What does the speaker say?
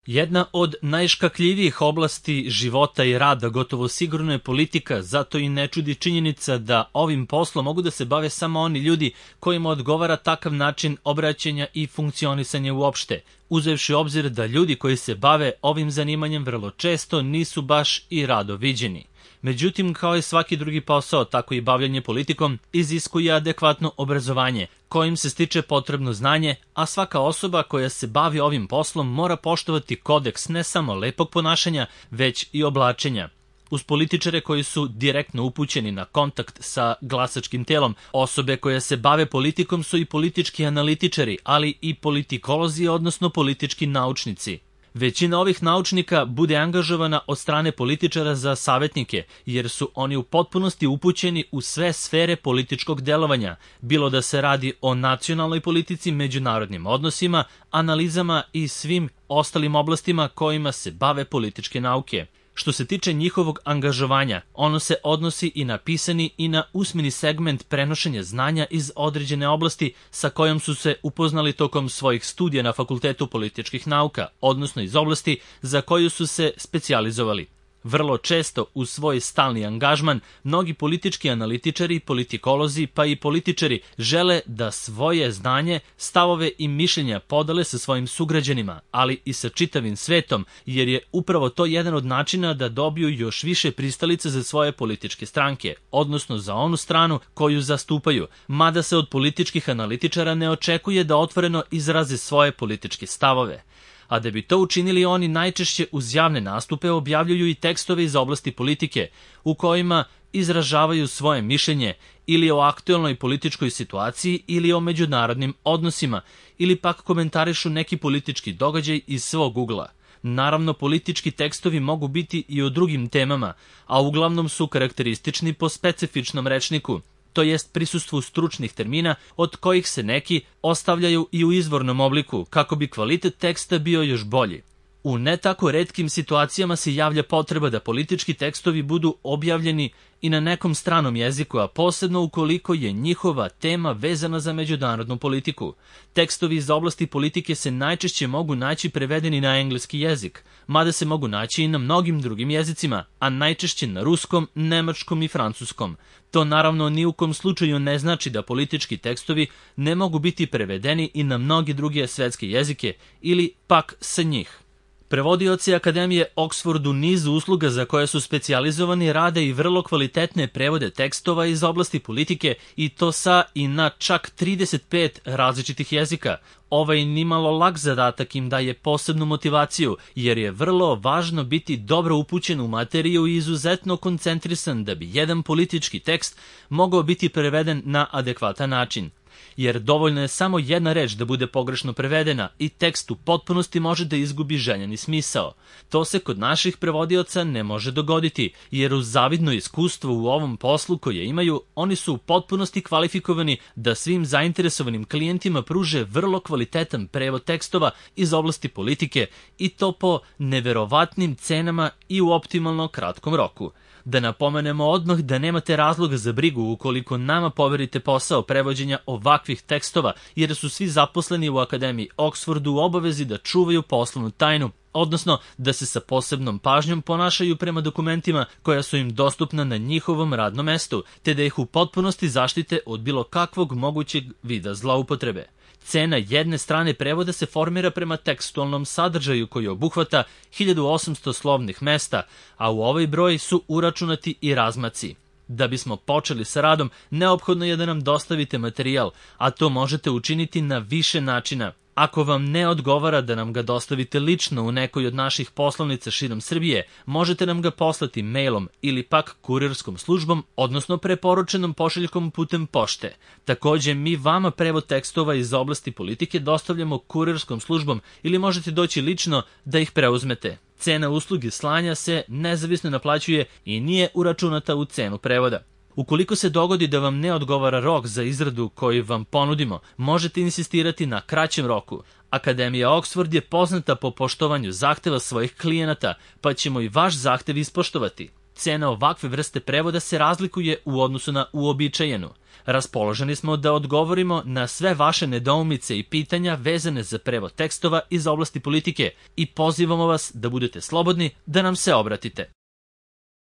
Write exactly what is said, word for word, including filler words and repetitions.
Jedna od najškakljivijih oblasti života i rada gotovo sigurno je politika, zato i ne čudi činjenica da ovim poslom mogu da se bave samo oni ljudi kojima odgovara takav način obraćanja i funkcionisanja uopšte, uzevši u obzir da ljudi koji se bave ovim zanimanjem vrlo često nisu baš i rado viđeni. Međutim, kao i svaki drugi posao, tako i bavljanje politikom iziskuje adekvatno obrazovanje, kojim se stiče potrebno znanje, a svaka osoba koja se bavi ovim poslom mora poštovati kodeks ne samo lepog ponašanja, već i oblačenja. Uz političare koji su direktno upućeni na kontakt sa glasačkim telom, osobe koje se bave politikom su i politički analitičari, ali i politikolozi, odnosno politički naučnici. Većina ovih naučnika bude angažovana od strane političara za savjetnike, jer su oni u potpunosti upućeni u sve sfere političkog delovanja, bilo da se radi o nacionalnoj politici, međunarodnim odnosima, analizama i svim ostalim oblastima kojima se bave političke nauke. Što se tiče njihovog angažovanja, ono se odnosi i na pisani i na usmeni segment prenošenja znanja iz određene oblasti sa kojom su se upoznali tokom svojih studija na Fakultetu političkih nauka, odnosno iz oblasti za koju su se specijalizovali. Vrlo često u svoj stalni angažman mnogi politički analitičari, politikolozi pa i političari žele da svoje znanje, stavove i mišljenja podele sa svojim sugrađanima, ali i sa čitavim svetom, jer je upravo to jedan od načina da dobiju još više pristalice za svoje političke stranke, odnosno za onu stranu koju zastupaju, mada se od političkih analitičara ne očekuje da otvoreno izraze svoje političke stavove. A da bi to učinili, oni najčešće uz javne nastupe objavljuju i tekstove iz oblasti politike, u kojima izražavaju svoje mišljenje ili o aktuelnoj političkoj situaciji ili o međunarodnim odnosima, ili pak komentarišu neki politički događaj iz svog ugla. Naravno, politički tekstovi mogu biti i o drugim temama, a uglavnom su karakteristični po specifičnom rečniku, to jest prisustvu stručnih termina od kojih se neki ostavljaju i u izvornom obliku, kako bi kvalitet teksta bio još bolji. U ne tako retkim situacijama se javlja potreba da politički tekstovi budu objavljeni i na nekom stranom jeziku, a posebno ukoliko je njihova tema vezana za međunarodnu politiku. Tekstovi iz oblasti politike se najčešće mogu naći prevedeni na engleski jezik, mada se mogu naći i na mnogim drugim jezicima, a najčešće na ruskom, nemačkom i francuskom. To naravno ni u kom slučaju ne znači da politički tekstovi ne mogu biti prevedeni i na mnogi druge svetske jezike ili pak sa njih. Prevodioci Akademije Oxford u nizu usluga za koje su specijalizovani rade i vrlo kvalitetne prevode tekstova iz oblasti politike, i to sa i na čak trideset pet različitih jezika. Ovaj nimalo lak zadatak im daje posebnu motivaciju, jer je vrlo važno biti dobro upućen u materiju i izuzetno koncentrisan da bi jedan politički tekst mogao biti preveden na adekvatan način. Jer dovoljno je samo jedna reč da bude pogrešno prevedena i tekst u potpunosti može da izgubi željeni smisao. To se kod naših prevodioca ne može dogoditi, jer uz zavidno iskustvo u ovom poslu koje imaju, oni su u potpunosti kvalifikovani da svim zainteresovanim klijentima pruže vrlo kvalitetan prevod tekstova iz oblasti politike, i to po neverovatnim cenama i u optimalno kratkom roku. Da napomenemo odmah da nemate razloga za brigu ukoliko nama poverite posao prevođenja ovakvih tekstova, jer su svi zaposleni u Akademiji Oxfordu u obavezi da čuvaju poslovnu tajnu, odnosno da se sa posebnom pažnjom ponašaju prema dokumentima koja su im dostupna na njihovom radnom mestu, te da ih u potpunosti zaštite od bilo kakvog mogućeg vida zloupotrebe. Cena jedne strane prevoda se formira prema tekstualnom sadržaju koji obuhvata hiljadu osamsto slovnih mesta, a u ovaj broj su uračunati i razmaci. Da bismo počeli sa radom, neophodno je da nam dostavite materijal, a to možete učiniti na više načina. Ako vam ne odgovara da nam ga dostavite lično u nekoj od naših poslovnica širom Srbije, možete nam ga poslati mailom ili pak kurirskom službom, odnosno preporučenom pošiljkom putem pošte. Takođe, mi vama prevod tekstova iz oblasti politike dostavljamo kurirskom službom ili možete doći lično da ih preuzmete. Cena usluge slanja se nezavisno naplaćuje i nije uračunata u cenu prevoda. Ukoliko se dogodi da vam ne odgovara rok za izradu koji vam ponudimo, možete insistirati na kraćem roku. Akademija Oxford je poznata po poštovanju zahteva svojih klijenata, pa ćemo i vaš zahtev ispoštovati. Cena ovakve vrste prevoda se razlikuje u odnosu na uobičajenu. Raspoloženi smo da odgovorimo na sve vaše nedoumice i pitanja vezane za prevod tekstova iz oblasti politike i pozivamo vas da budete slobodni da nam se obratite.